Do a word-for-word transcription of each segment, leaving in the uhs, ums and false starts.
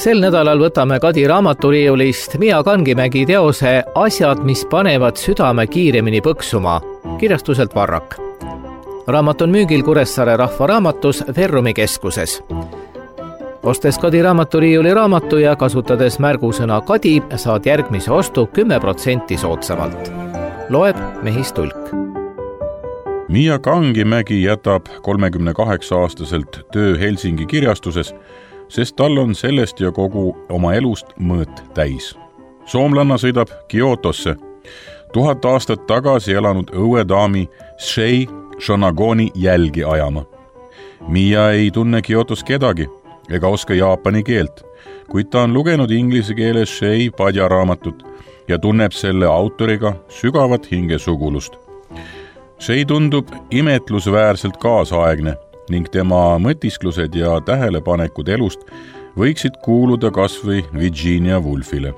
Sel nädalal võtame Kadi raamaturiiulist Miia Kangimägi teose Asjad, mis panevad südame kiiremini põksuma, kirjastuselt Varrak. Raamat on müügil Kuressaare Rahvaraamatus Verrumi keskuses. Ostes Kadi raamaturiiuli raamatu ja kasutades märgusõna Kadi, saad järgmise ostu kümme protsenti soodsamalt. Loeb Mehis Tulk. Miia Kangimägi jätab kolmekümne kaheksa aastaselt töö Helsingi kirjastuses, sest tal on sellest ja kogu oma elust mõõt täis. Soomlanna sõidab Kyotosse, tuhat aastat tagasi elanud õuedaami Shei Shonagoni jälgi ajama. Miia ei tunne Kyotos kedagi ega oska jaapani keelt, kuid ta on lugenud inglise keeles Shei Padja raamatut ja tunneb selle autoriga sügavat hingesugulust. Shei tundub imetlusväärselt kaasaegne ning tema mõtisklused ja tähelepanekud elust võiksid kuuluda kas või Virginia Woolfile.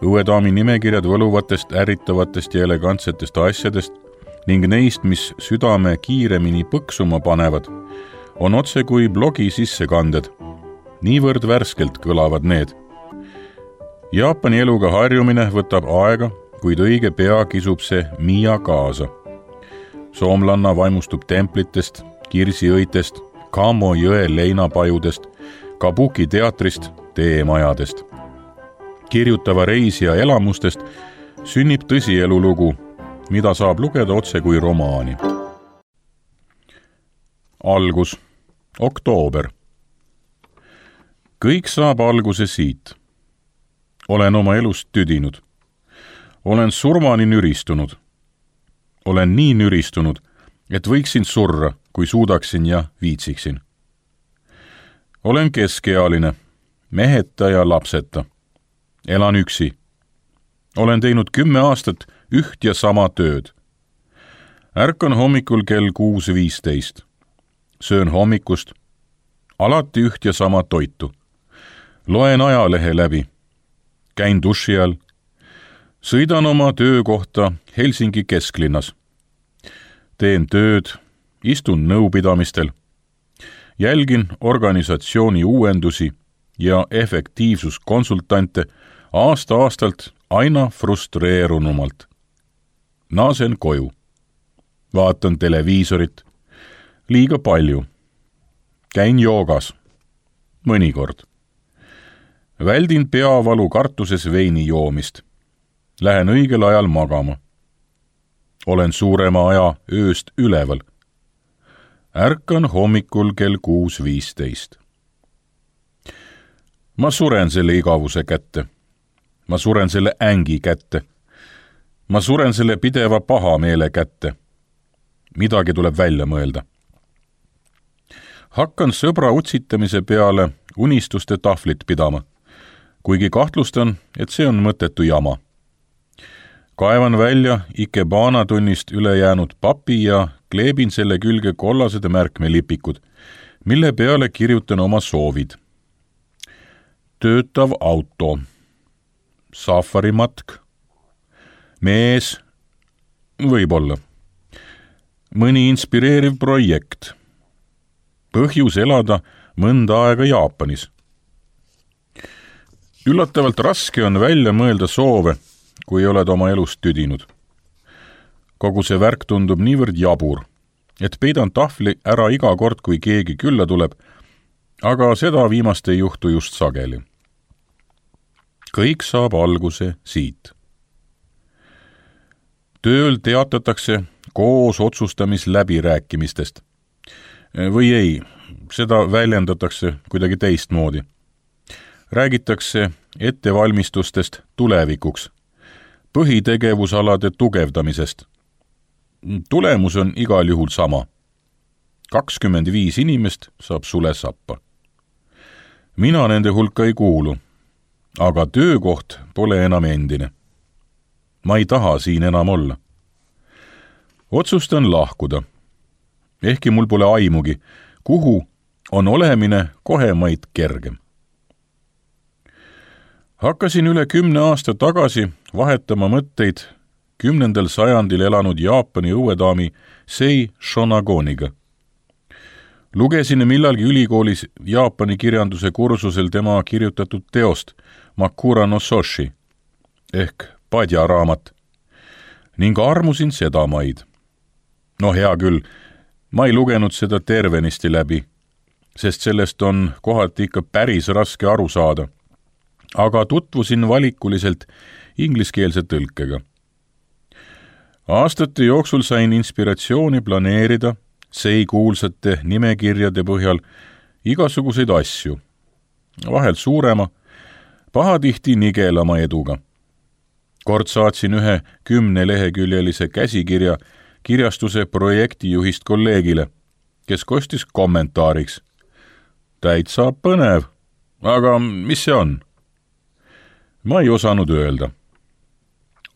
Õuedaami nimekirjad võluvatest, ärritavatest ja elegantsetest asjadest ning neist, mis südame kiiremini põksuma panevad, on otse kui blogi sissekanded. Niivõrd värskelt kõlavad need. Jaapani eluga harjumine võtab aega, kuid õige pea kisub see Miia kaasa. Soomlanna vaimustub templitest, kirsiõitest, Kamo jõe leinapajudest, Kabuki teatrist, teemajadest. Kirjutava reisija elamustest sünnib tõsielulugu, mida saab lugeda otse kui romaani. Algus. Oktoober. Kõik saab alguse siit. Olen oma elust tüdinud. Olen surmani nüristunud. Olen nii nüristunud, et võiksin surra, kui suudaksin ja viitsiksin. Olen keskealine, meheta ja lapseta. Elan üksi. Olen teinud kümme aastat üht ja sama tööd. Ärkan hommikul kell kuus viisteist. Söön hommikust, alati üht ja sama toitu. Loen ajalehe läbi. Käin duši all. Sõidan oma töökohta Helsingi kesklinnas. Teen tööd, istun nõupidamistel. Jälgin organisatsiooni uuendusi ja efektiivsuskonsultante aasta-aastalt aina frustreerunumalt. Naasen koju. Vaatan televiisorit. Liiga palju. Käin joogas. Mõnikord. Väldin peavalu kartuses veini joomist. Lähen õigel ajal magama. Olen suurema aja ööst üleval. Ärkan hommikul kell kuus viisteist. Ma suren selle igavuse kätte. Ma suren selle ängi kätte. Ma suren selle pideva pahameele kätte. Midagi tuleb välja mõelda. Hakkan sõbra utsitamise peale unistuste tahvlit pidama, kuigi kahtlustan, et see on mõttetu jama. Kaevan välja Ikebana tunnist üle jäänud papi ja kleebin selle külge kollased märkmelipikud, mille peale kirjutan oma soovid. Töötav auto. Safarimatk. Mees. Võib-olla. Mõni inspireeriv projekt. Põhjus elada mõnda aega Jaapanis. Üllatavalt raske on välja mõelda soove, kui oled oma elust tüdinud. Kogu see värk tundub niivõrd jabur, et peidan tahvli ära iga kord, kui keegi külla tuleb, aga seda viimast ei juhtu just sageli. Kõik saab alguse siit. Tööl teatatakse koos otsustamisläbirääkimistest. Või ei, seda väljendatakse kuidagi teistmoodi. Räägitakse ettevalmistustest tulevikuks, põhitegevusalade tugevdamisest. Tulemus on igal juhul sama. kakskümmend viis inimest saab sule sappa. Mina nende hulka ei kuulu, aga töökoht pole enam endine. Ma ei taha siin enam olla. Otsustan lahkuda. Ehkki mul pole aimugi, kuhu on olemine kohemaid kergem. Hakkasin üle kümne aasta tagasi vahetama mõtteid kümnendal sajandil elanud Jaapani õuedaami Sei Shonagoniga. lugesin millalgi ülikoolis Jaapani kirjanduse kursusel tema kirjutatud teost Makura no Soshi ehk Padja raamat ning armusin seda maid. No hea küll, ma ei lugenud seda tervenisti läbi, sest sellest on kohati ikka päris raske aru saada, aga tutvusin valikuliselt ingliskeelse tõlkega. Aastate jooksul sain inspiratsiooni planeerida sei kuulsate nimekirjade põhjal igasuguseid asju, vahel suurema, pahatihti nigelama eduga. Kord saatsin ühe kümneleheküljelise käsikirja kirjastuse projektijuhist kolleegile, kes kostis kommentaariks. Täitsa põnev, aga mis see on? Ma ei osanud öelda.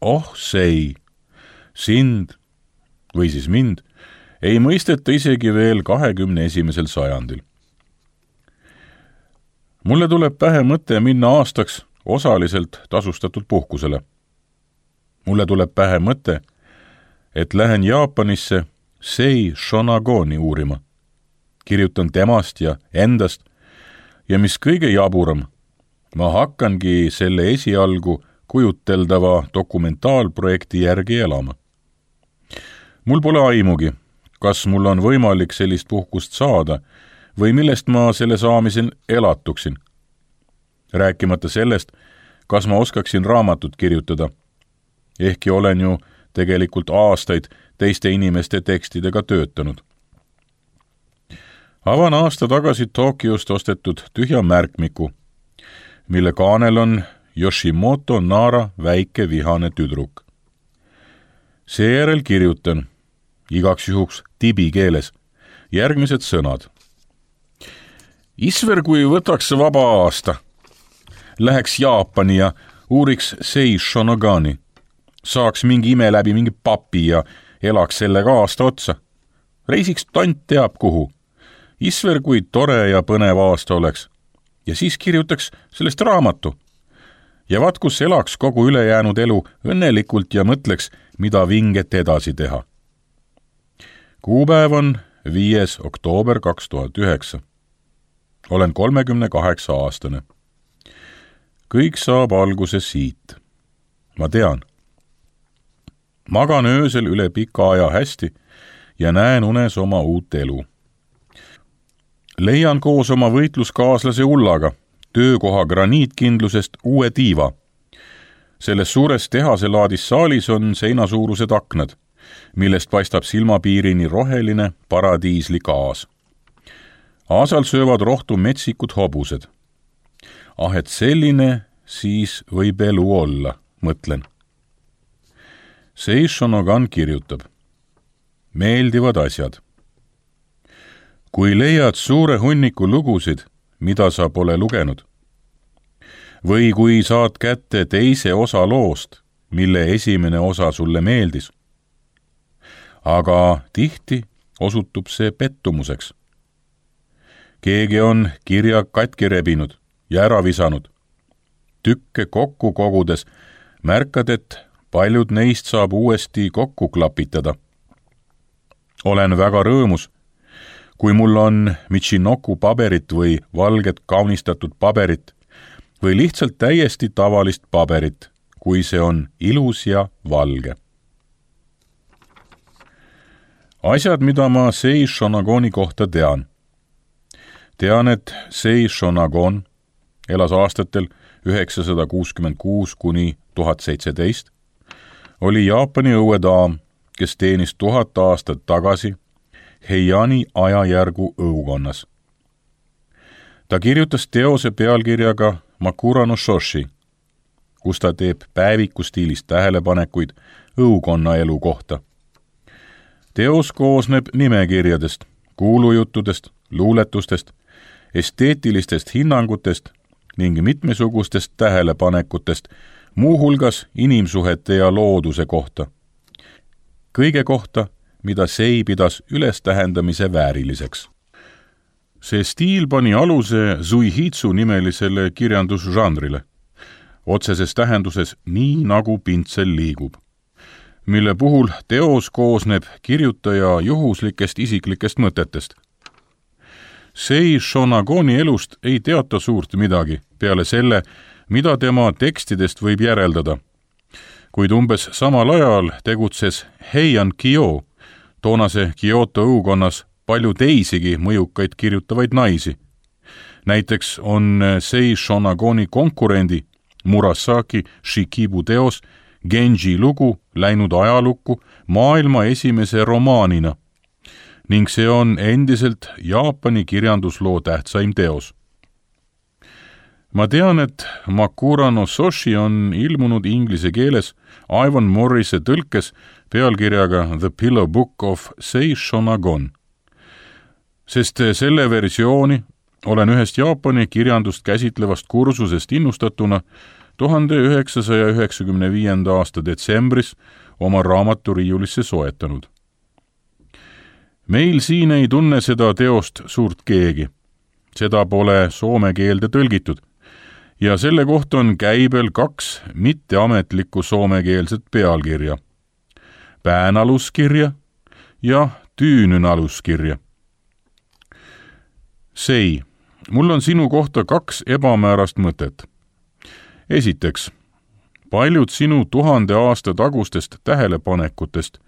Oh sei, sind või siis mind ei mõisteta isegi veel kahekümne esimesel sajandil. Mulle tuleb pähe mõte minna aastaks osaliselt tasustatud puhkusele. Mulle tuleb pähe mõte, et lähen Jaapanisse Sei Shonagoni uurima. Kirjutan temast ja endast ja mis kõige jaburam, ma hakkangi selle esialgu kujuteldava dokumentaalprojekti järgi elama. Mul pole aimugi, kas mul on võimalik sellist puhkust saada või millest ma selle saamisel elatuksin. Rääkimata sellest, kas ma oskaksin raamatut kirjutada, ehkki olen ju tegelikult aastaid teiste inimeste tekstidega töötanud. Avan aasta tagasi Tokyost ostetud tühja märkmiku, mille kaanel on Yoshimoto Nara väike vihane tüdruk. Seejärel kirjutan, igaks juhuks tibi keeles, järgmised sõnad. Isver, kui võtaks vaba aasta, läheks Jaapani ja uuriks Sei Shonagani, saaks mingi ime läbi mingi papi ja elaks sellega aasta otsa. Reisiks tant teab kuhu. Isver, kui tore ja põnev aasta oleks. Ja siis kirjutaks sellest raamatu. Ja vaat kus elaks kogu ülejäänud elu õnnelikult ja mõtleks, mida vinget edasi teha. Kuupäev on viies oktoober kaks tuhat üheksa. Olen kolmekümne kaheksa aastane. Kõik saab alguse siit. Ma tean. Magan öösel üle pika aja hästi ja näen unes oma uut elu. Leian koos oma võitluskaaslase Ullaga töökoha graniitkindlusest uue tiiva. Selles suures tehaselaadis saalis on seinasuurused aknad, millest paistab silmapiirini roheline paradiislik aas. Aasal söövad rohtu metsikud hobused. Ah, et selline siis võib elu olla, mõtlen. Sei Shonagan kirjutab. Meeldivad asjad. Kui leiad suure hunniku lugusid, mida sa pole lugenud, või kui saad kätte teise osa loost, mille esimene osa sulle meeldis, aga tihti osutub see pettumuseks. Keegi on kirja katki rebinud ja ära visanud. Tükke kokku kogudes märkad, et paljud neist saab uuesti kokku klapitada. Olen väga rõõmus, kui mul on Michinoku paberit või valget kaunistatud paberit või lihtsalt täiesti tavalist paberit, kui see on ilus ja valge. Asjad, mida ma Sei Shonagoni kohta tean. Tean, et Sei Shonagon elas aastatel üheksasada kuuskümmend kuus kuni tuhat seitseteist, oli Jaapani õuedaam, kes teenis tuhat aastat tagasi Heiani ajajärgu õukonnas. Ta kirjutas teose pealkirjaga Makura no Soshi, kus ta teeb päeviku stiilis tähelepanekuid õukonna elu kohta. Teos koosneb nimekirjadest, kuulujuttudest, luuletustest, esteetilistest hinnangutest ning mitmesugustest tähelepanekutest, muuhulgas inimsuhete ja looduse kohta. Kõige kohta, mida Sei pidas ülestähendamise vääriliseks. See stiil pani aluse Zuihitsu nimelisele kirjandusžanrile, otseses tähenduses nii nagu pintsel liigub, mille puhul teos koosneb kirjutaja juhuslikest isiklikest mõtetest. Sei Shonagoni elust ei teata suurt midagi peale selle, mida tema tekstidest võib järeldada. Kuid umbes samal ajal tegutses Heian Kyo, toonase Kyoto õukonnas palju teisigi mõjukaid kirjutavaid naisi. Näiteks on Sei Shonagoni konkurendi Murasaki Shikibu teos Genji lugu läinud ajalukku maailma esimese romaanina ning see on endiselt Jaapani kirjandusloo tähtsaim teos. Ma tean, et Makura no Soshi on ilmunud inglise keeles Ivan Morrise tõlkes pealkirjaga The Pillow Book of Sei Shonagon, sest selle versiooni olen ühest Jaapani kirjandust käsitlevast kursusest innustatuna tuhande üheksasaja üheksakümne viienda aasta detsembris oma raamaturiiulisse soetanud. Meil siin ei tunne seda teost suurt keegi. Seda pole soome keelde tõlgitud ja selle kohta on käibel kaks mitteametlikku soomekeelset pealkirja. Päänaluskirja ja tüünynaluskirja. Sei, mul on sinu kohta kaks ebamäärast mõtet. Esiteks, paljud sinu tuhande aasta tagustest tähelepanekutest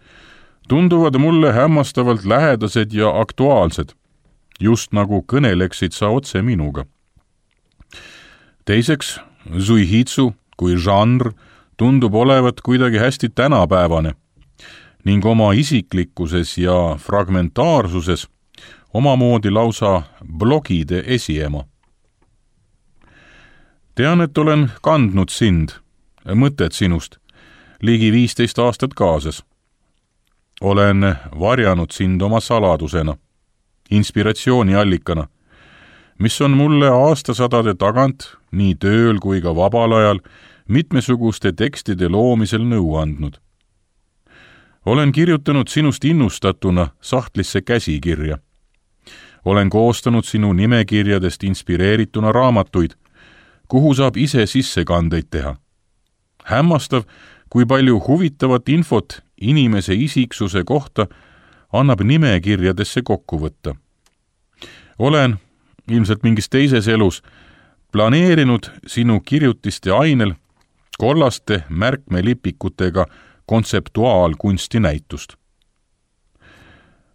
tunduvad mulle hämmastavalt lähedased ja aktuaalsed, just nagu kõneleksid sa otse minuga. Teiseks, Zuihitsu kui žanr tundub olevat kuidagi hästi tänapäevane ning oma isiklikkuses ja fragmentaarsuses omamoodi lausa blogide esiema. Tean, et olen kandnud sind, mõtted sinust, ligi viisteist aastat kaasas. Olen varjanud sind oma saladusena, inspiratsiooniallikana, mis on mulle aastasadade tagant nii tööl kui ka vabal ajal mitmesuguste tekstide loomisel nõu andnud. Olen kirjutanud sinust innustatuna sahtlisse käsikirja. Olen koostanud sinu nimekirjadest inspireerituna raamatuid, kuhu saab ise sissekandeid teha. Hämmastav, kui palju huvitavat infot inimese isiksuse kohta annab nimekirjadesse kokku võtta. Olen, ilmselt mingis teises elus, planeerinud sinu kirjutiste ainel kollaste märkmelipikutega kontseptuaalkunsti näitust.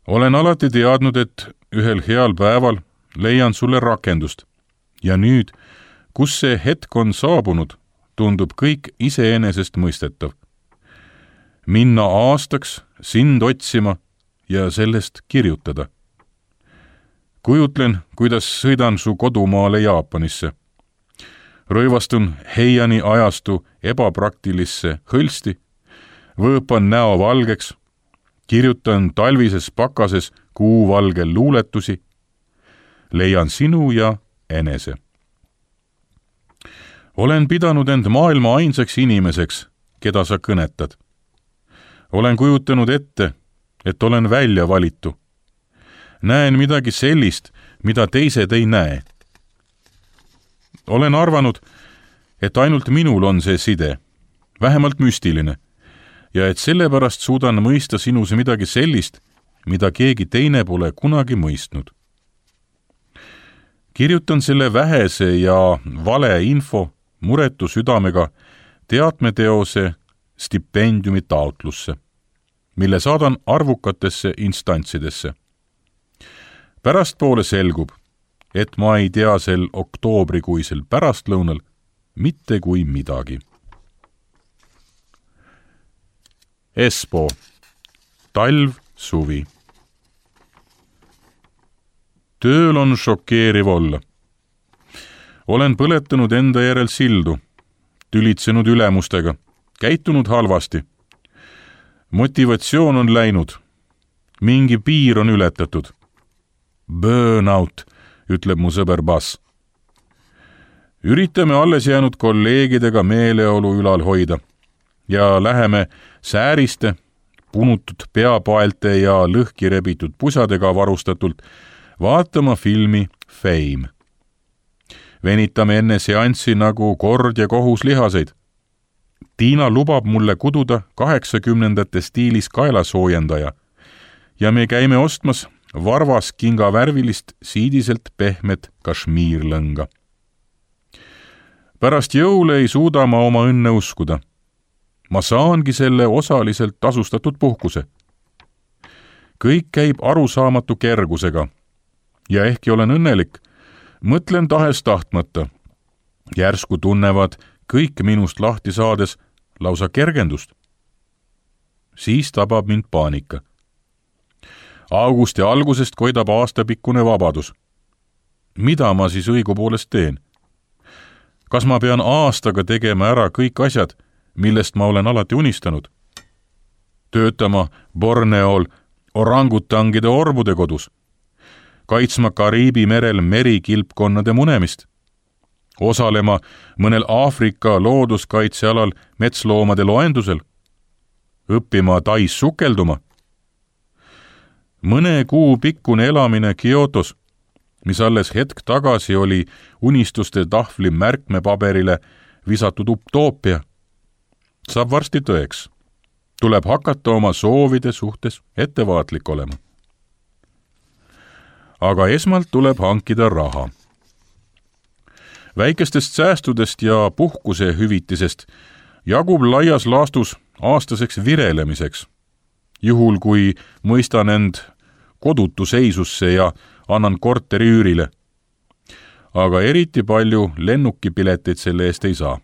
Olen alati teadnud, et ühel heal päeval leian sulle rakendust ja nüüd, kus see hetk on saabunud, tundub kõik iseenesest mõistetav. Minna aastaks sind otsima ja sellest kirjutada. Kujutlen, kuidas sõidan su kodumaale Jaapanisse. Rõivastun Heiani ajastu ebapraktilisse hõlsti, võõpan näo valgeks, kirjutan talvises pakases kuuvalgel luuletusi, leian sinu ja enese. Olen pidanud end maailma ainsaks inimeseks, keda sa kõnetad. Olen kujutanud ette, et olen välja valitu. Näen midagi sellist, mida teised ei näe. Olen arvanud, et ainult minul on see side, vähemalt müstiline, ja et sellepärast suudan mõista sinus midagi sellist, mida keegi teine pole kunagi mõistnud. Kirjutan selle vähese ja vale info muretu südamega teatmeteose stipendiumi taotlusse, mille saadan arvukatesse instantsidesse. Pärastpoole selgub, et ma ei tea sel oktoobrikuisel pärastlõunal mitte kui midagi. Espoo, talv, suvi. Tööl on šokeeriv olla. Olen põletanud enda järel sildu, tülitsenud ülemustega, käitunud halvasti. Motivatsioon on läinud. Mingi piir on ületatud. Burnout, ütleb mu sõber Bass. Üritame alles jäänud kolleegidega meeleolu ülal hoida ja läheme sääriste, punutud peapaelte ja lõhki rebitud pusadega varustatult vaatama filmi Fame. Venitame enne seanssi nagu kord ja kohus lihaseid. Tiina lubab mulle kududa kaheksakümnendate stiilis kaelasoojendaja ja me käime ostmas varvas kingavärvilist siidiselt pehmet kašmiirlõnga. Pärast jõule ei suuda ma oma õnne uskuda. Ma saangi selle osaliselt tasustatud puhkuse. Kõik käib arusaamatu kergusega ja ehkki olen õnnelik, mõtlen tahes tahtmata. Järsku tunnevad kõik minust lahti saades lausa kergendust. Siis tabab mind paanika. Augusti algusest koidab aastapikkune vabadus. Mida ma siis õigupoolest teen? Kas ma pean aastaga tegema ära kõik asjad, millest ma olen alati unistanud? Töötama Borneol orangutangide orbude kodus, kaitsma Kariibi merel merikilpkonnade munemist, osalema mõnel Aafrika looduskaitsealal metsloomade loendusel, õppima Tais sukelduma. Mõne kuu pikkune elamine Kyotos, mis alles hetk tagasi oli unistuste tahvli märkmepaberile visatud utoopia, saab varsti tõeks. Tuleb hakata oma soovide suhtes ettevaatlik olema. Aga esmalt tuleb hankida raha. Väikestest säästudest ja puhkuse hüvitisest jagub laias laastus aastaseks virelemiseks, juhul kui mõistan end kodutu seisusse ja annan korteri üürile. Aga eriti palju lennukipileteid selle eest ei saa.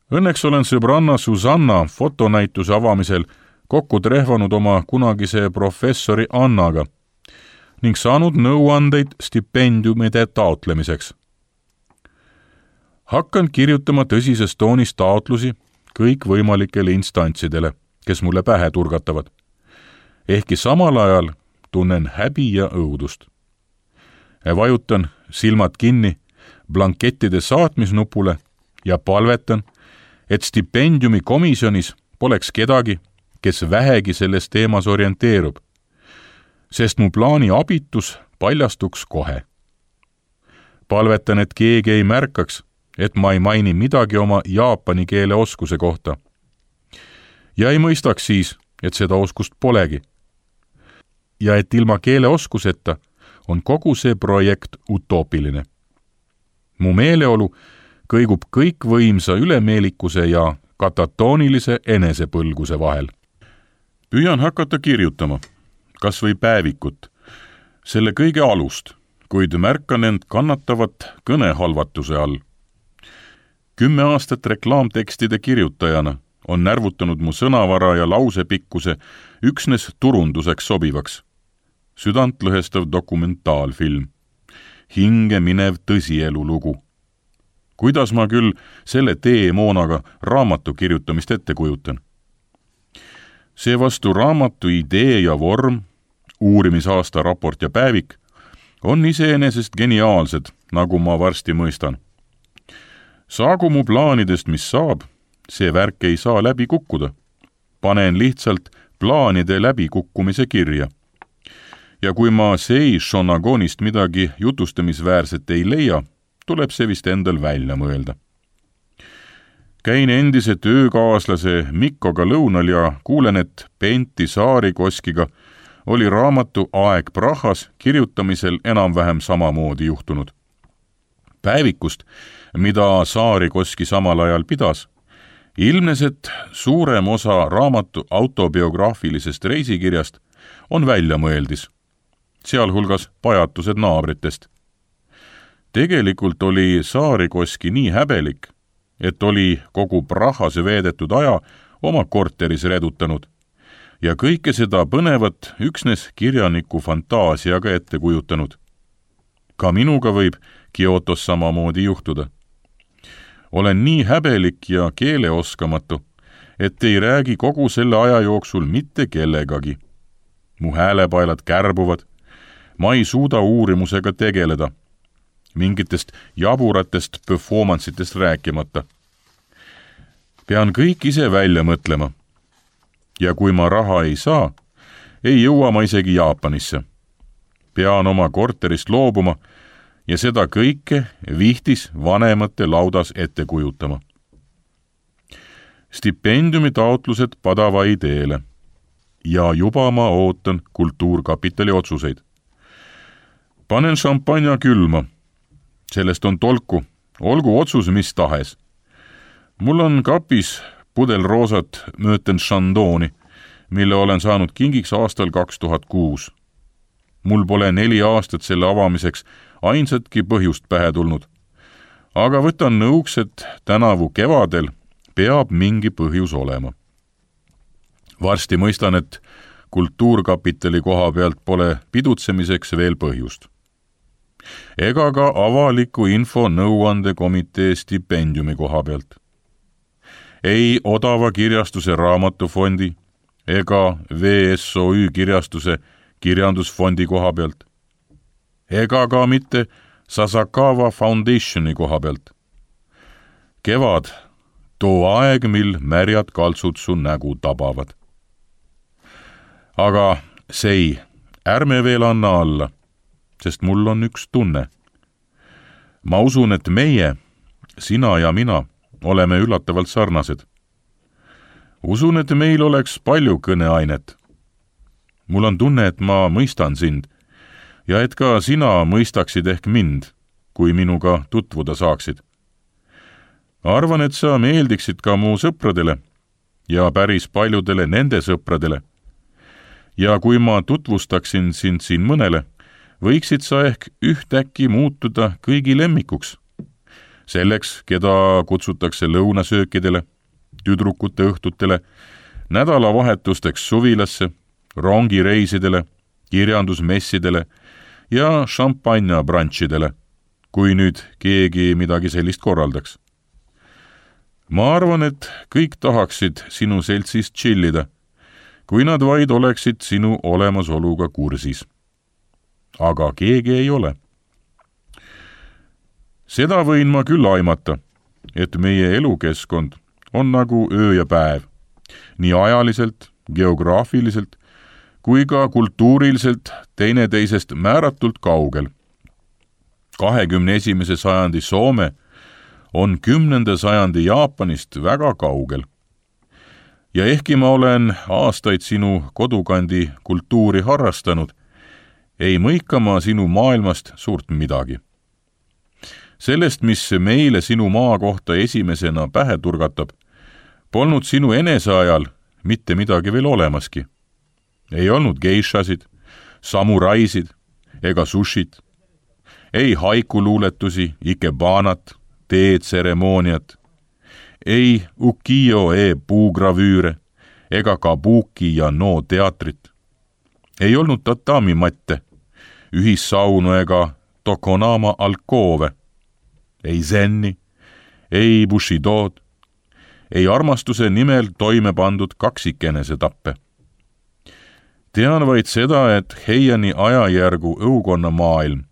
Õnneks olen sõbranna Susanna fotonäituse avamisel kokku trehvanud oma kunagise professori Annaga ning saanud nõuandeid stipendiumide taotlemiseks. Hakkan kirjutama tõsises toonis taotlusi kõikvõimalikele instantsidele, kes mulle pähe turgatavad. Ehkki samal ajal tunnen häbi ja õudust. Vajutan silmad kinni blankettide saatmisnupule ja palvetan, et stipendiumi komisjonis poleks kedagi, kes vähegi selles teemas orienteerub, sest mu plaani abitus paljastuks kohe. Palvetan, et keegi ei märkaks, et ma ei maini midagi oma jaapani keele oskuse kohta. Ja ei mõistaks siis, et seda oskust polegi. Ja et ilma keele oskuseta on kogu see projekt utoopiline. Mu meeleolu kõigub kõikvõimsa ülemeelikuse ja katatoonilise enesepõlguse vahel. Püüan hakata kirjutama, kas või päevikut, selle kõige alust, kuid märkan end kannatavat kõnehalvatuse all. Kümme aastat reklaamtekstide kirjutajana on närvutanud mu sõnavara ja lausepikkuse üksnes turunduseks sobivaks. Südantlõhestav dokumentaalfilm, hinge minev tõsielu lugu. Kuidas ma küll selle teemoonaga raamatu kirjutamist ette kujutan? Seevastu raamatu idee ja vorm, uurimisaasta raport ja päevik, on iseenesest geniaalsed, nagu ma varsti mõistan. Saagu mu plaanidest, mis saab, see värk ei saa läbi kukkuda. Panen lihtsalt plaanide läbikukkumise kirja. Ja kui ma Sei Shonagonist midagi jutustamisväärset ei leia, tuleb see vist endal välja mõelda. Käin endise töökaaslase Mikkoga lõunal ja kuulen, et Pentti Saarikoskiga oli raamatu Aeg Prahas kirjutamisel enam-vähem samamoodi juhtunud. Päevikust, mida Saarikoski samal ajal pidas, ilmnes, et suurem osa raamatu autobiograafilisest reisikirjast on väljamõeldis, sealhulgas pajatused naabritest. Tegelikult oli Saarikoski nii häbelik, et oli kogu Prahas veedetud aja oma korteris redutanud ja kõike seda põnevat üksnes kirjaniku fantaasiaga ette kujutanud. Ka minuga võib Kyotos samamoodi juhtuda. Olen nii häbelik ja keeleoskamatu, et ei räägi kogu selle aja jooksul mitte kellegagi. Mu häälepaelad kärbuvad, ma ei suuda uurimusega tegeleda, mingitest jaburatest performanceitest rääkimata. Pean kõik ise välja mõtlema. Ja kui ma raha ei saa, ei jõua ma isegi Jaapanisse. Pean oma korterist loobuma ja seda kõike vihtis vanemate laudas ette kujutama. Stipendiumi taotlused padava ideele. ja juba ma ootan Kultuurkapitali otsuseid. Panen šampanja külma. Sellest on tolku, olgu otsus mis tahes. Mul on kapis pudel roosat Möten Chandoni, mille olen saanud kingiks aastal kaks tuhat kuus. Mul pole neli aastat selle avamiseks ainsatki põhjust pähe tulnud. Aga võtan nõuks, et tänavu kevadel peab mingi põhjus olema. Varsti mõistan, et Kultuurkapitali koha pealt pole pidutsemiseks veel põhjust. Ega ka avaliku info nõuandekomitee stipendiumi koha pealt. Ei odava kirjastuse raamatufondi ega V S O Ü kirjastuse kirjandusfondi koha pealt. Ega ka mitte Sasakawa Foundationi koha pealt. Kevad, too aeg, mil märjad kaltsud su nägu tabavad. Aga sei, ärme veel anna alla, sest mul on üks tunne. Ma usun, et meie, sina ja mina, oleme üllatavalt sarnased. Usun, et meil oleks palju kõneainet. Mul on tunne, et ma mõistan sind ja et ka sina mõistaksid ehk mind, kui minuga tutvuda saaksid. Arvan, et sa meeldiksid ka mu sõpradele ja päris paljudele nende sõpradele. Ja kui ma tutvustaksin sind siin mõnele, võiksid sa ehk ühtäkki muutuda kõigi lemmikuks. Selleks, keda kutsutakse lõunasöökidele, tüdrukute õhtutele, nädalavahetusteks suvilasse, rongireisidele, kirjandusmessidele ja šampanja-brantšidele, kui nüüd keegi midagi sellist korraldaks. Ma arvan, et kõik tahaksid sinu seltsis chillida, kui nad vaid oleksid sinu olemasoluga kursis. Aga keegi ei ole. Seda võin ma küll aimata, et meie elukeskkond on nagu öö ja päev, nii ajaliselt, geograafiliselt kui ka kultuuriliselt teineteisest määratult kaugel. kahekümne esimese sajandi Soome on kümnenda sajandi Jaapanist väga kaugel. Ja ehkki ma olen aastaid sinu kodukandi kultuuri harrastanud, ei mõika ma sinu maailmast suurt midagi. Sellest, mis meile sinu maa kohta esimesena pähe turgatab, polnud sinu eneseajal mitte midagi veel olemaski. Ei olnud geishasid, samuraisid ega sushit, ei haikuluuletusi, ikebanat, teetseremooniat, ei ukiyo-e puugravüüre ega kabuki ja no teatrit. Ei olnud tatami-matte, ühissaunu ega tokonama alkoove, ei zenni, ei bushidod, ei armastuse nimel toime pandud kaksikenese tappe. Tean vaid seda, et Heiani ajajärgu õukonna maailm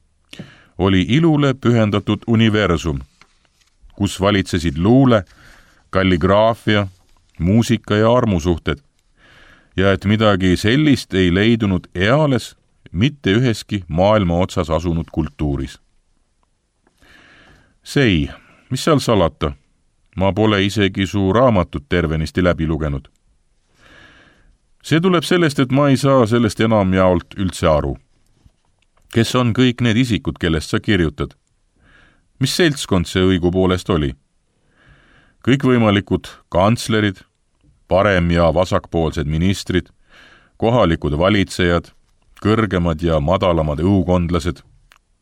oli ilule pühendatud universum, kus valitsesid luule, kalligraafia, muusika ja armusuhted, ja et midagi sellist ei leidunud eales mitte üheski maailma otsas asunud kultuuris. Sei, mis seal salata? Ma pole isegi su raamatut tervenisti läbi lugenud. See tuleb sellest, et ma ei saa sellest enam jaolt üldse aru. Kes on kõik need isikud, kellest sa kirjutad? Mis seltskond see õigupoolest oli? Kõikvõimalikud kantslerid, parem- ja vasakpoolsed ministrid, kohalikud valitsejad, kõrgemad ja madalamad õukondlased,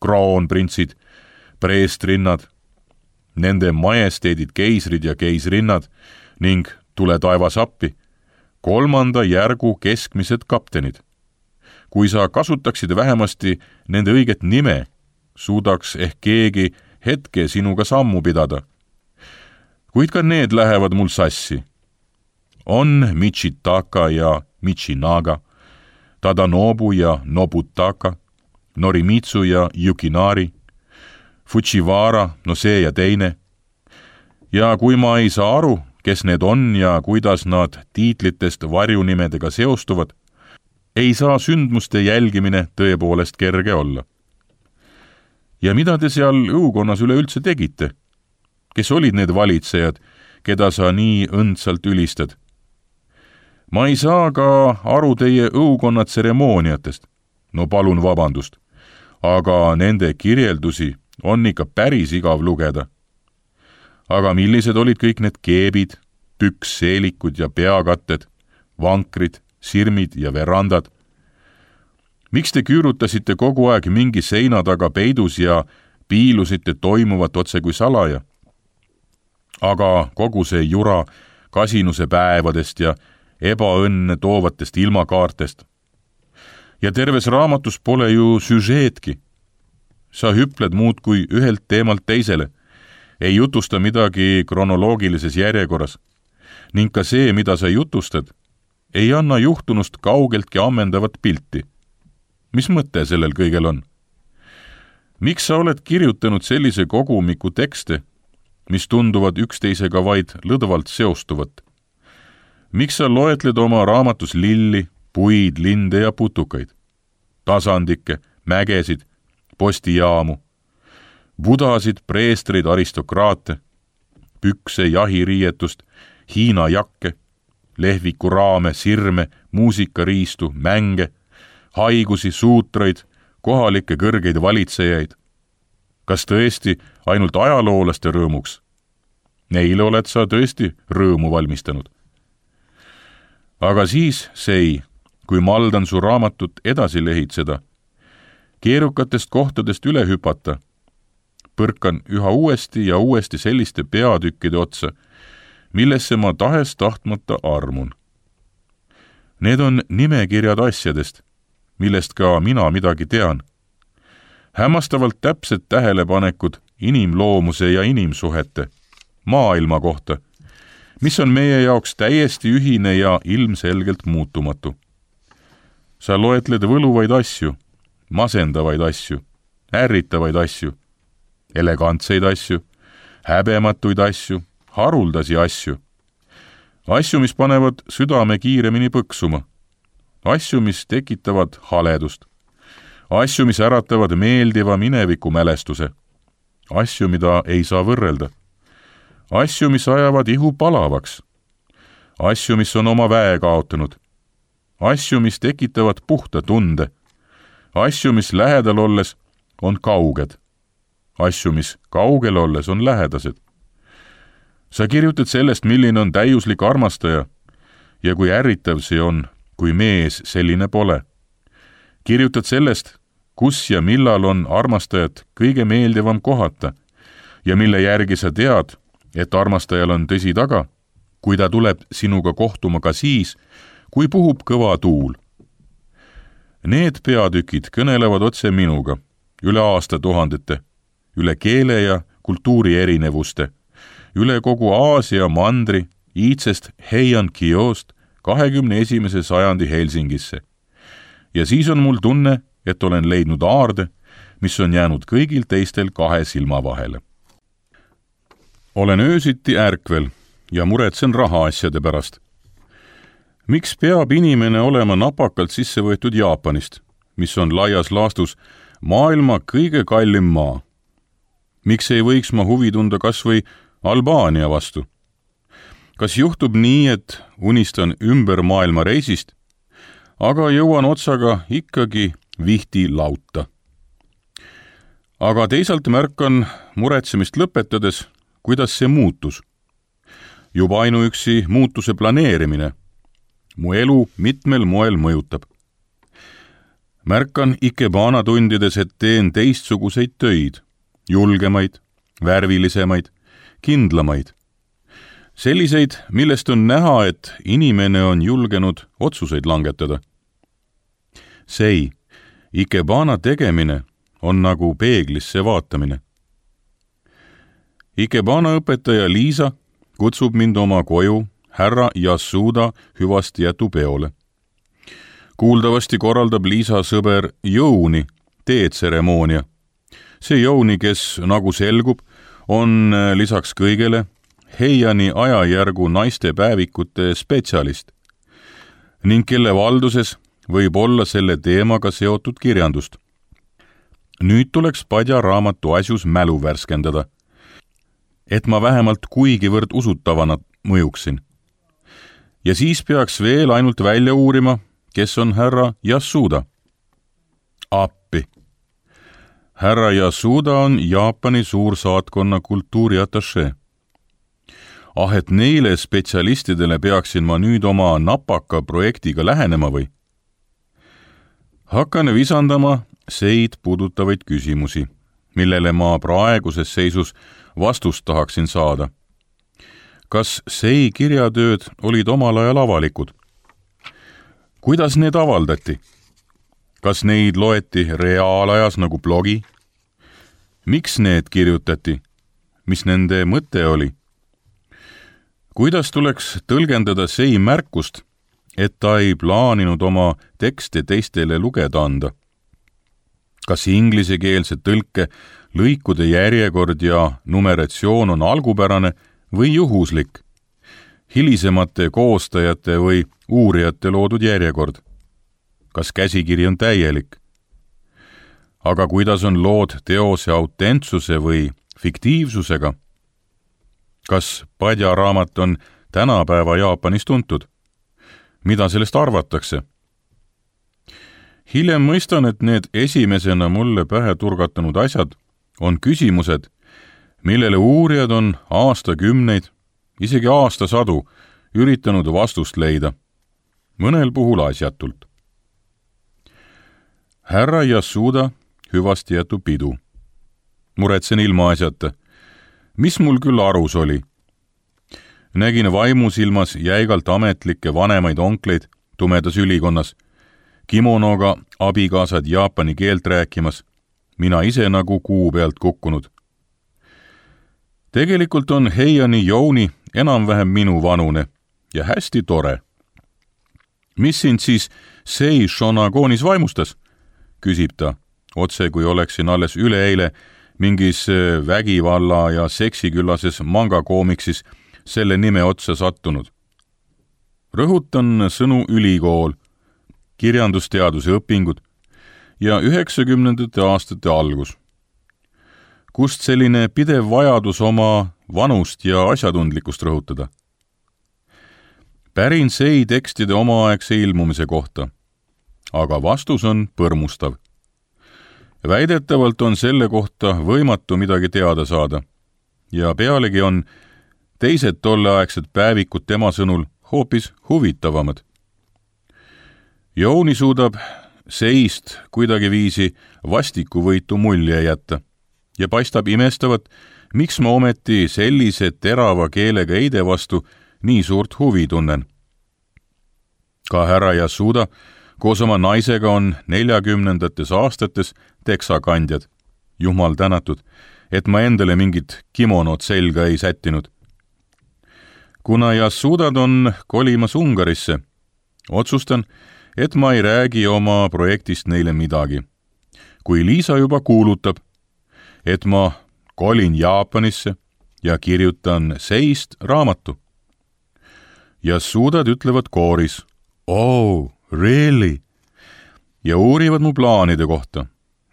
kroonprintsid, preestrinnad, nende majesteedid keisrid ja keisrinnad ning tule taevas appi, kolmanda järgu keskmised kaptenid. Kui sa kasutaksid vähemasti nende õiget nime, suudaks ehk keegi hetke sinuga sammu pidada. Kuid ka need lähevad mul sassi. On Michitaka ja Michinaga, Tadanobu ja Nobutaka, Norimitsu ja Yukinari, Fujiwara, no see ja teine. Ja kui ma ei saa aru, kes need on ja kuidas nad tiitlitest varjunimedega seostuvad, ei saa sündmuste jälgimine tõepoolest kerge olla. Ja mida te seal õukonnas üleüldse tegite? Kes olid need valitsejad, keda sa nii õndsalt ülistad? ma ei saa ka aru teie õukonna tseremooniatest. No palun vabandust, aga nende kirjeldusi on ikka päris igav lugeda. Aga millised olid kõik need keebid, püksseelikud ja peakatted, vankrid, sirmid ja verandad? Miks te küürutasite kogu aeg mingi seina taga peidus ja piilusite toimuvat otse kui salaja? Aga kogu see jura kasinuse päevadest ja ebaõnne toovatest ilmakaartest. Ja terves raamatus pole ju süžeetki. Sa hüpled muud kui ühelt teemalt teisele, ei jutusta midagi kronoloogilises järjekorras, ning ka see, mida sa jutustad, ei anna juhtunust kaugeltki ammendavat pilti. Mis mõte sellel kõigel on? Miks sa oled kirjutanud sellise kogumiku tekste, mis tunduvad üksteisega vaid lõdvalt seostuvat? Miks sa loetled oma raamatus lilli, puid, linde ja putukaid, tasandikke, mägesid, postijaamu, budasid, preestreid, aristokraate, pükse, jahiriietust, Hiina jakke, lehviku raame, sirme, muusikariistu, mänge, haigusi, suutraid, kohalikke kõrgeid valitsejaid. Kas tõesti ainult ajaloolaste rõõmuks? Neile oled sa tõesti rõõmu valmistanud. Aga siis sei, kui maldan su raamatut edasi lehitseda, keerukatest kohtadest üle hüpata, põrkan üha uuesti ja uuesti selliste peatükkide otsa, millesse ma tahes tahtmata armun. Need on nimekirjad asjadest, millest ka mina midagi tean. Hämmastavalt täpsed tähelepanekud inimloomuse ja inimsuhete, maailma kohta, mis on meie jaoks täiesti ühine ja ilmselgelt muutumatu. Sa loetled võluvaid asju, masendavaid asju, ärritavaid asju, elegantseid asju, häbematuid asju, haruldasi asju. Asju, mis panevad südame kiiremini põksuma. Asju, mis tekitavad haledust. Asju, mis äratavad meeldiva mineviku mälestuse. Asju, mida ei saa võrrelda. Asju, mis ajavad ihu palavaks. Asju, mis on oma väe kaotanud. Asju, mis tekitavad puhta tunde. Asju, mis lähedal olles on kauged. Asju, mis kaugel olles on lähedased. Sa kirjutad sellest, milline on täiuslik armastaja ja kui ärritav see on, kui mees selline pole. Kirjutad sellest, kus ja millal on armastajat kõige meeldivam kohata ja mille järgi sa tead, et armastajal on tõsi taga, kui ta tuleb sinuga kohtuma ka siis, kui puhub kõva tuul. Need peatükid kõnelevad otse minuga, üle aastatuhandete, üle keele ja kultuuri erinevuste, üle kogu Aasia mandri, iidsest Heian-Kiost kahekümne esimese sajandi Helsingisse. Ja siis on mul tunne, et olen leidnud aarde, mis on jäänud kõigil teistel kahe silma vahele. Olen öösiti ärkvel ja muretsen rahaasjade pärast. Miks peab inimene olema napakalt sisse võetud Jaapanist, mis on laias laastus maailma kõige kallim maa? Miks ei võiks ma huvi tunda kas või Albaania vastu? Kas juhtub nii, et unistan ümber maailma reisist, aga jõuan otsaga ikkagi vihti lauta? Aga teisalt märkan muretsemist lõpetades, kuidas see muutus. Juba ainuüksi muutuse planeerimine mu elu mitmel moel mõjutab. Märkan Ikebana tundides, et teen teistsuguseid töid, julgemaid, värvilisemaid, kindlamaid. Selliseid, millest on näha, et inimene on julgenud otsuseid langetada. See, Ikebana tegemine on nagu peeglisse vaatamine. Ikebana õpetaja Liisa kutsub mind oma koju härra Yasuda hüvastijätu peole. Kuuldavasti korraldab Liisa sõber Jouni teetseremoonia. See Jouni, kes, nagu selgub, on lisaks kõigele Heiani ajajärgu naistepäevikute spetsialist ning kelle valduses võib olla selle teemaga seotud kirjandust. Nüüd tuleks Padja raamatu asjus mälu värskendada, et ma vähemalt kuigivõrd usutavana mõjuksin. ja siis peaks veel ainult välja uurima, kes on härra Yasuda. Appi. Härra Yasuda on Jaapani suursaatkonna kultuuriatašee. Ah, et neile spetsialistidele peaksin ma nüüd oma napaka projektiga lähenema või? Hakkan visandama seid puudutavaid küsimusi, millele ma praeguses seisus vastust tahaksin saada. Kas sei kirjatööd olid omal ajal avalikud? Kuidas need avaldati? Kas neid loeti reaalajas nagu blogi? Miks need kirjutati? Mis nende mõte oli? Kuidas tuleks tõlgendada sei märkust, et ta ei plaaninud oma tekste teistele lugeda anda? Kas inglisekeelse tõlke lõikude järjekord ja numeratsioon on algupärane või juhuslik? Hilisemate koostajate või uurijate loodud järjekord? Kas käsikiri on täielik? Aga kuidas on lood teose autentsuse või fiktiivsusega? Kas Padja raamat on tänapäeva Jaapanis tuntud? Mida sellest arvatakse? Hiljem mõistan, et need esimesena mulle pähe turgatanud asjad on küsimused, millele uurijad on aastakümneid, isegi aastasadu üritanud vastust leida, mõnel puhul asjatult. Härra Yasuda hüvasti jätu pidu. Muretsen ilma asjata. Mis mul küll arus oli? Nägin vaimusilmas jäigalt ametlikke vanemaid onkleid tumedas ülikonnas, kimonoga abikaasad jaapani keelt rääkimas, mina ise nagu kuu pealt kukkunud. Tegelikult on Heiani Jouni enam-vähem minu vanune ja hästi tore. Mis sind siis sei Shonagoonis vaimustas? Küsib ta, otse kui oleksin alles üleeile mingis vägivalla ja seksiküllases mangakoomiksis selle nime otsa sattunud. Rõhutan sõnu ülikool, kirjandusteaduse õpingud ja üheksakümnendate aastate algus. Kust selline pidev vajadus oma vanust ja asjatundlikkust rõhutada? Pärin sei tekstide omaaegse ilmumise kohta, aga vastus on põrmustav. Väidetavalt on selle kohta võimatu midagi teada saada ja pealegi on teised tolleaegsed päevikud tema sõnul hoopis huvitavamad. Jouni suudab seist kuidagiviisi vastikuvõitu mulje jätta ja paistab imestavat, miks ma ometi sellise terava keelega eide vastu nii suurt huvi tunnen. Ka härra Yasuda koos oma naisega on neljakümnendates aastates teksakandjad. Jumal tänatud, et ma endale mingit kimonot selga ei sättinud. Kuna Yasudad on kolimas Ungarisse, otsustan, et ma ei räägi oma projektist neile midagi. Kui Liisa juba kuulutab, et ma kolin Jaapanisse ja kirjutan seist raamatu. Yasudad ütlevad kooris, oh, really? Ja uurivad mu plaanide kohta.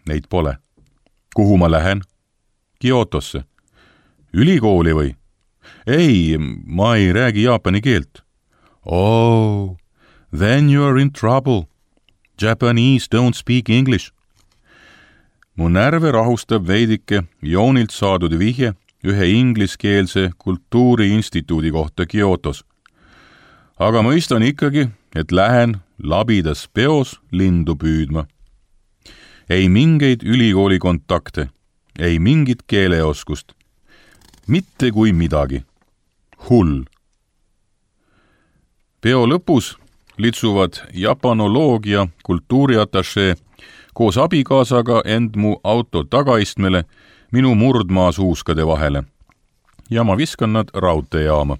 Neid pole. Kuhu ma lähen? Kyotosse. Ülikooli või? Ei, ma ei räägi jaapani keelt. Oh, then you are in trouble. Japanese don't speak English. Mu närve rahustab veidike Joonilt saadud vihje ühe ingliskeelse kultuuriinstituudi kohta Kyotos. Aga mõistan ikkagi, et lähen labidas peos lindu püüdma. Ei mingeid ülikooli kontakte, ei mingit keeleoskust. Mitte kui midagi. Hull. Peo lõpus litsuvad japanoloogia kultuuriatašee koos abikaasaga end mu auto tagaistmele minu murdmaa suuskade vahele ja ma viskan nad raudteejaama.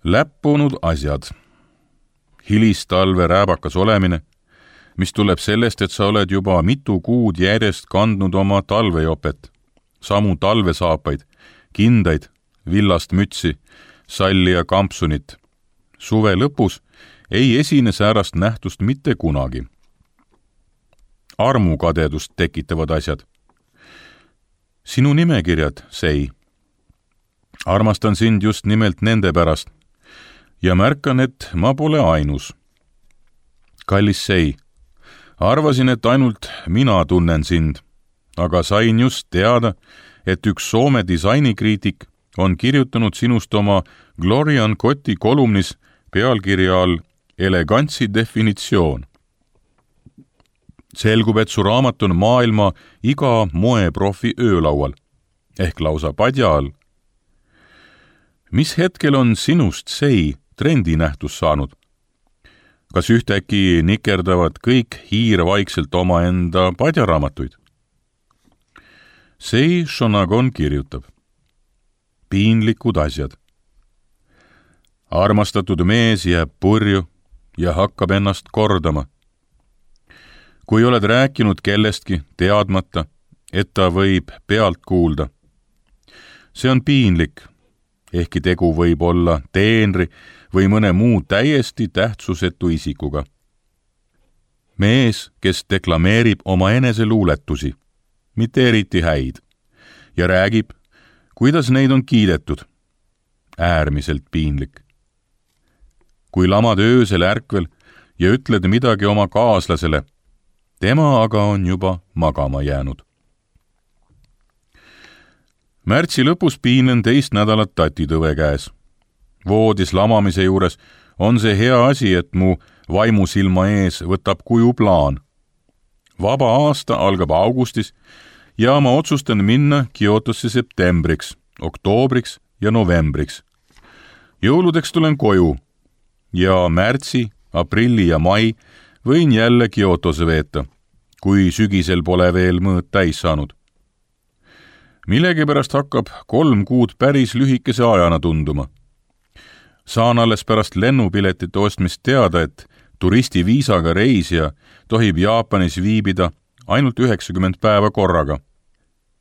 Läppunud asjad. Hilistalve rääbakas olemine, mis tuleb sellest, et sa oled juba mitu kuud järjest kandnud oma talvejopet, samu talvesaapaid, kindaid, villast mütsi, salli ja kampsunit. Suve lõpus ei esine säärast nähtust mitte kunagi. Armukadedust tekitavad asjad. Sinu nimekirjad, sei. Armastan sind just nimelt nende pärast. ja märkan, et ma pole ainus. Kallis Sei, arvasin, et ainult mina tunnen sind, aga sain just teada, et üks Soome disainikriitik on kirjutanud sinust oma Glorian Kotti kolumnis pealkirja all Elegantsi definitsioon. Selgub, et su raamat on maailma iga moeprofi öölaual, ehk lausa padja all. Mis hetkel on sinust Sei trendinähtus saanud? Kas ühtäkki nikerdavad kõik hiirvaikselt omaenda padjaraamatuid? Sei Shonagon kirjutab. Piinlikud asjad. Armastatud mees jääb purju ja hakkab ennast kordama. Kui oled rääkinud kellestki teadmata, et ta võib pealt kuulda. See on piinlik, ehkki tegu võib olla teenri või mõne muu täiesti tähtsusetu isikuga. Mees, kes deklameerib oma eneseluuletusi, mitte eriti häid, ja räägib, kuidas neid on kiidetud. Äärmiselt piinlik. Kui lamad öösel ärkvel ja ütled midagi oma kaaslasele, tema aga on juba magama jäänud. Märtsi lõpus piinen teist nädalat tatitõve käes. Voodis lamamise juures on see hea asi, et mu vaimusilma ees võtab kuju plaan. Vaba aasta algab augustis ja ma otsustan minna Kyotosse septembriks, oktoobriks ja novembriks. Jõuludeks tulen koju ja märtsi, aprilli ja mai võin jälle Kyotose veeta, kui sügisel pole veel mõõt täis saanud. Millegipärast hakkab kolm kuud päris lühikese ajana tunduma. Saan alles pärast lennupiletite ostmist teada, et turistiviisaga reisija tohib Jaapanis viibida ainult üheksakümmend päeva korraga.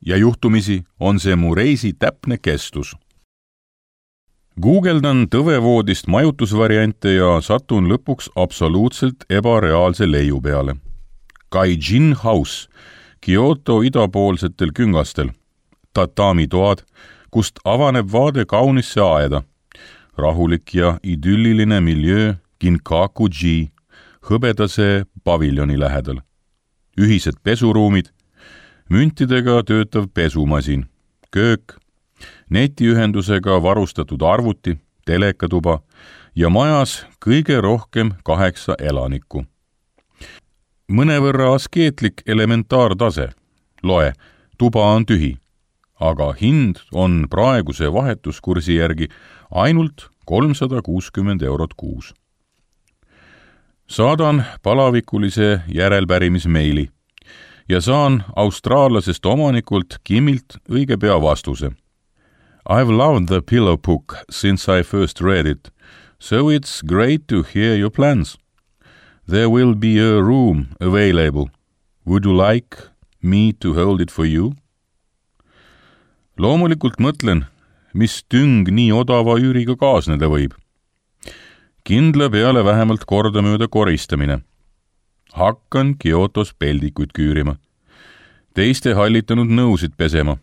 Ja juhtumisi on see mu reisi täpne kestus. Googledan tõvevoodist majutusvariante ja satun lõpuks absoluutselt ebareaalse leiu peale. Gaijin House, Kyoto idapoolsetel küngastel. Tatami toad, kust avaneb vaade kaunisse aeda. Rahulik ja idülliline miljöö Kinkaku-ji, hõbedase paviljoni lähedal. Ühised pesuruumid, müntidega töötav pesumasin, köök, netiühendusega varustatud arvuti, telekatuba ja majas kõige rohkem kaheksa elanikku. Mõnevõrra askeetlik elementaartase. Loe, tuba on tühi, aga hind on praeguse vahetuskursi järgi ainult kolmsada kuuskümmend eurot kuus. Saadan palavikulise järelpärimismeili ja saan austraallasest omanikult Kimilt õige pea vastuse. I've loved the pillow book since I first read it, so it's great to hear your plans. There will be a room available. Would you like me to hold it for you? Loomulikult mõtlen, mis tüng nii odava üüriga kaasneda võib. Kindla peale vähemalt kordamööda koristamine. Hakkan Kyotos peldikuid küürima. Teiste hallitanud nõusid pesema.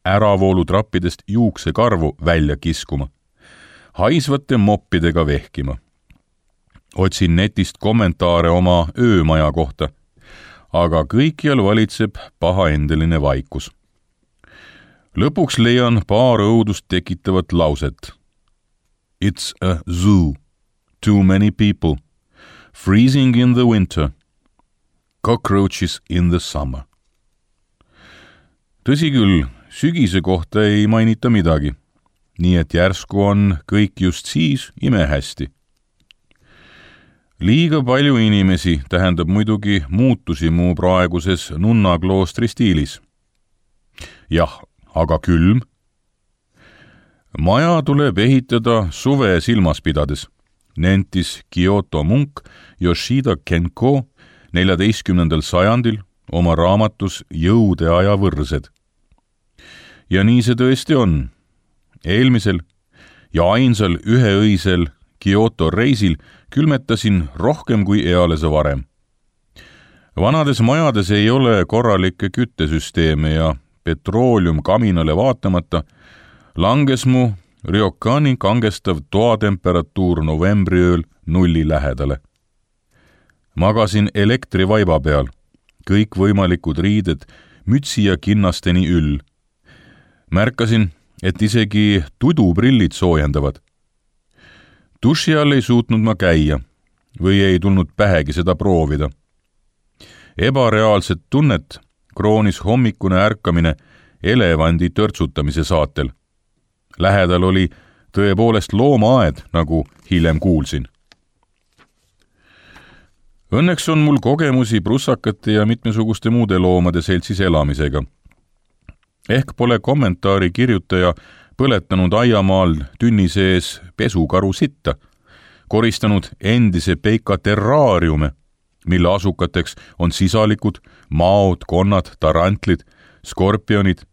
Äravoolu trappidest juuksekarvu välja kiskuma. Haisvate moppidega vehkima. Otsin netist kommentaare oma öömaja kohta, aga kõikjal valitseb pahaendeline vaikus. Lõpuks leian paar õudust tekitavat lauset. It's a zoo. Too many people. Freezing in the winter. Cockroaches in the summer. Tõsi küll, sügise kohta ei mainita midagi, nii et järsku on kõik just siis imehästi. Liiga palju inimesi tähendab muidugi muutusi mu praeguses nunnakloostri stiilis. Jah, aga külm. Maja tuleb ehitada suve silmas pidades, nentis Kyoto munk Yoshida Kenko neljateistkümnendal sajandil oma raamatus Jõude aja võrsed. Ja nii see tõesti on. Eelmisel ja ainsal üheõisel Kyoto reisil külmetasin rohkem kui eales varem. Vanades majades ei ole korralikke küttesüsteeme ja petroolium kaminale vaatamata langes mu Ryokkani kangestav toatemperatuur novembriööl nulli lähedale. Magasin elektrivaiba peal, kõik võimalikud riided mütsi ja kinnasteni üll. Märkasin, et isegi tuduprillid soojendavad. Duši all ei suutnud ma käia või ei tulnud pähegi seda proovida. Ebareaalset tunnet kroonis hommikune ärkamine elevandi törtsutamise saatel. Lähedal oli tõepoolest loomaaed, nagu hiljem kuulsin. Õnneks on mul kogemusi prussakate ja mitmesuguste muude loomade seltsis elamisega. Ehk pole kommentaari kirjutaja põletanud aiamaal tünni sees pesukaru sitta, koristanud endise peika terraariume, mille asukateks on sisalikud, maod, konnad, tarantlid, skorpionid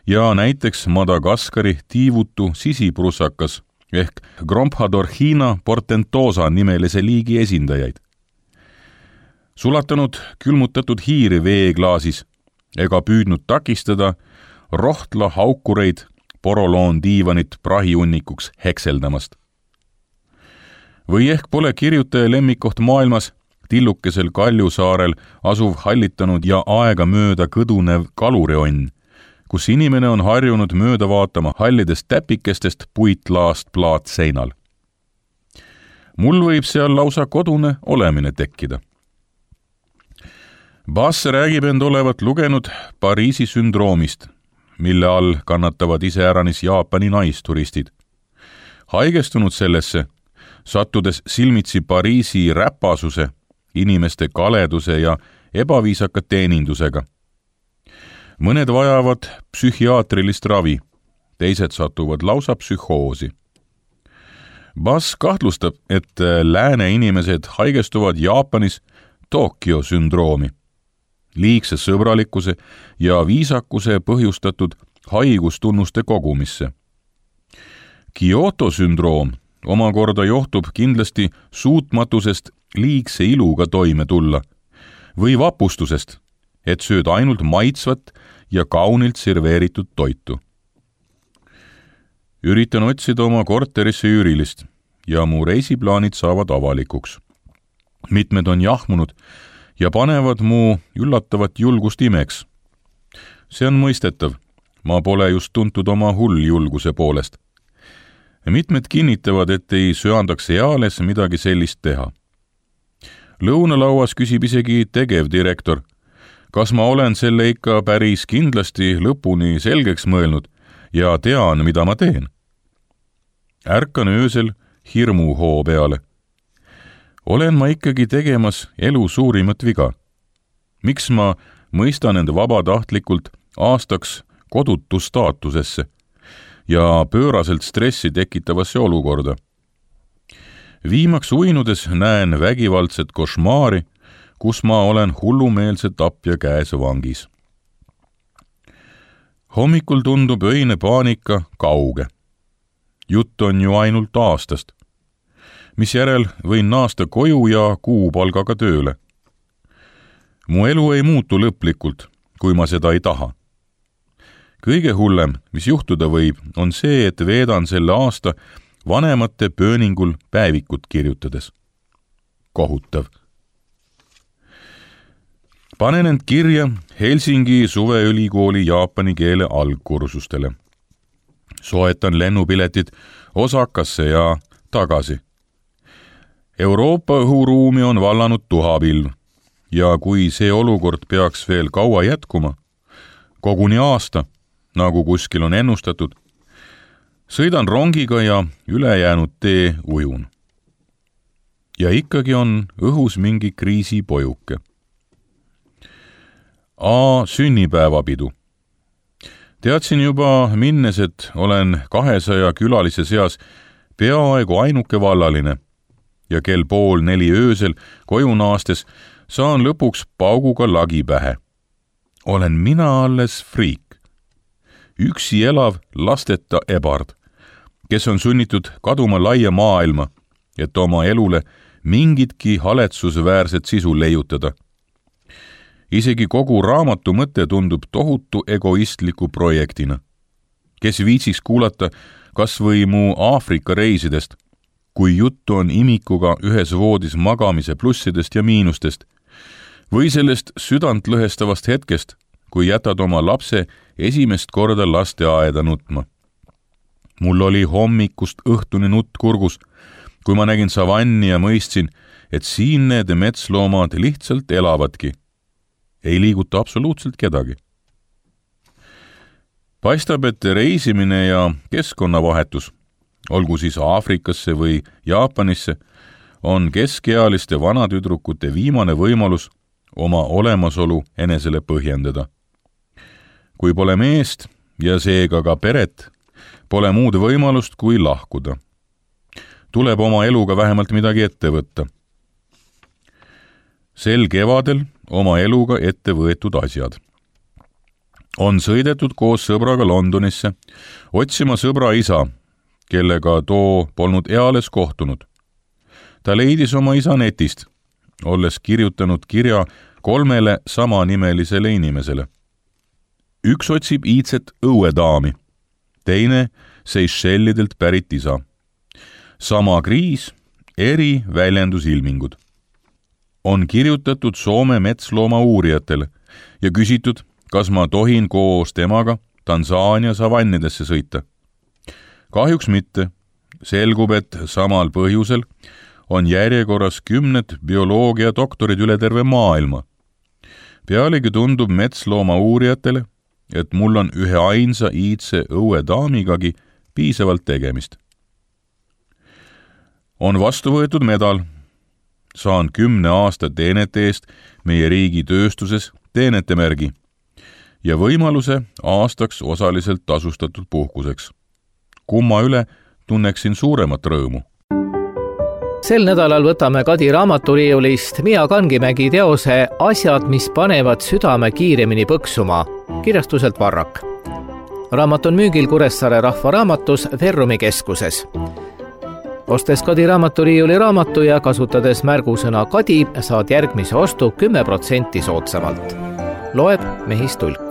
ja näiteks Madagaskari tiivutu sisiprussakas ehk Gromphodorhina portentosa nimelise liigi esindajaid. Sulatanud külmutatud hiiri veeklaasis ega püüdnud takistada rohtla haukureid poroloon diivanit prahiunnikuks hekseldamast. Või ehk pole kirjutaja lemmikoht maailmas tillukesel Kaljusaarel asuv hallitanud ja aega mööda kõdunev kalurionn, kus inimene on harjunud mööda vaatama hallidest täpikestest puitlaast plaat seinal. Mul võib seal lausa kodune olemine tekkida. Bass räägib end olevat lugenud Pariisi sündroomist, mille all kannatavad iseäranis Jaapani naisturistid. Haigestunud sellesse, sattudes silmitsi Pariisi räpasuse, inimeste kaleduse ja ebaviisaka teenindusega. Mõned vajavad psühhiaatrilist ravi, teised satuvad lausa psühhoosi. Bass kahtlustab, et lääne inimesed haigestuvad Jaapanis Tokyo sündroomi, liigse sõbralikkuse ja viisakuse põhjustatud haigustunnuste kogumisse. Kyoto sündroom omakorda johtub kindlasti suutmatusest liigse iluga toime tulla või vapustusest, et sööd ainult maitsvat ja kaunilt serveeritud toitu. Üritan otsida oma korterisse üürilist ja mu reisiplaanid saavad avalikuks. Mitmed on jahmunud ja panevad mu üllatavat julgust imeks. See on mõistetav, ma pole just tuntud oma hulljulguse poolest. Mitmed kinnitavad, et ei söandaks eales midagi sellist teha. Lõunalauas küsib isegi tegevdirektor, kas ma olen selle ikka päris kindlasti lõpuni selgeks mõelnud ja tean, mida ma teen. Ärkan öösel hirmuhoo peale. Olen ma ikkagi tegemas elu suurimat viga. Miks ma mõistan end vabatahtlikult aastaks kodutu staatusesse ja pööraselt stressi tekitavasse olukorda? Viimaks uinudes näen vägivaldset košmaari, kus ma olen hullumeelse tapja käes vangis. Hommikul tundub öine paanika kauge. Jutt on ju ainult aastast, mis järel võin naasta koju ja kuupalgaga tööle. Mu elu ei muutu lõplikult, kui ma seda ei taha. Kõige hullem, mis juhtuda võib, on see, et veedan selle aasta vanemate pööningul päevikut kirjutades. Kohutav. Panen end kirja Helsingi suveülikooli jaapani keele algkursustele. Soetan lennupiletid Osakasse ja tagasi. Euroopa õhuruumi on vallanud tuhapilv ja kui see olukord peaks veel kaua jätkuma, koguni aasta, nagu kuskil on ennustatud, sõidan rongiga ja ülejäänud tee ujun. Ja ikkagi on õhus mingi kriisipojuke. A sünnipäevapidu. Teadsin juba minnes, et olen kahesaja külalise seas peaaegu ainuke vallaline ja kell pool neli öösel koju naastes saan lõpuks pauguga lagi pähe. Olen mina alles friik. Üksi elav lasteta ebard, kes on sunnitud kaduma laia maailma, et oma elule mingitki haletsusväärset sisu leiutada. Isegi kogu raamatu mõte tundub tohutu egoistliku projektina. kes viitsiks kuulata kas või mu Aafrika reisidest, kui juttu on imikuga ühes voodis magamise plussidest ja miinustest, või sellest südantlõhestavast hetkest, kui jätad oma lapse esimest korda lasteaeda nutma. Mul oli hommikust õhtuni nutt kurgus, kui ma nägin savanni ja mõistsin, et siin need metsloomad lihtsalt elavadki. Ei liiguta absoluutselt kedagi. Paistab, et reisimine ja keskkonnavahetus, olgu siis Aafrikasse või Jaapanisse, on keskealiste vanatüdrukute viimane võimalus oma olemasolu enesele põhjendada. Kui pole meest ja seega ka peret, pole muud võimalust kui lahkuda. Tuleb oma eluga vähemalt midagi ette võtta. Sel kevadel oma eluga ette võetud asjad. On sõidetud koos sõbraga Londonisse, otsima sõbra isa, kellega too polnud eales kohtunud. Ta leidis oma isa netist, olles kirjutanud kirja kolmele samanimelisele inimesele. Üks otsib iidset õuedaami, teine Seychellidelt pärit isa. Sama kriis, eri väljendusilmingud. On kirjutatud Soome metslooma uurijatele ja küsitud, kas ma tohin koos temaga Tansaania savannidesse sõita. Kahjuks mitte. Selgub, et samal põhjusel on järjekorras kümned bioloogia doktorid üle terve maailma. Pealegi tundub metslooma uurijatele, et mul on ühe ainsa iidse õuedaamigagi piisavalt tegemist. On vastu võetud medal. Saan kümne aasta teenete eest meie riigi tööstuses teenetemärgi ja võimaluse aastaks osaliselt tasustatud puhkuseks. Kumma üle tunneksin suuremat rõõmu. Sel nädalal võtame Kadi raamaturiiulist Mia Kangimägi teose Asjad, mis panevad südame kiiremini põksuma, kirjastuselt Varrak. Raamat on müügil Kuressaare Rahvaraamatus Verrumi keskuses. Ostes Kadi raamaturiiuli raamatu ja kasutades märgusõna Kadi, saad järgmise ostu kümme protsenti soodsamalt. Loeb Mehis Tulk.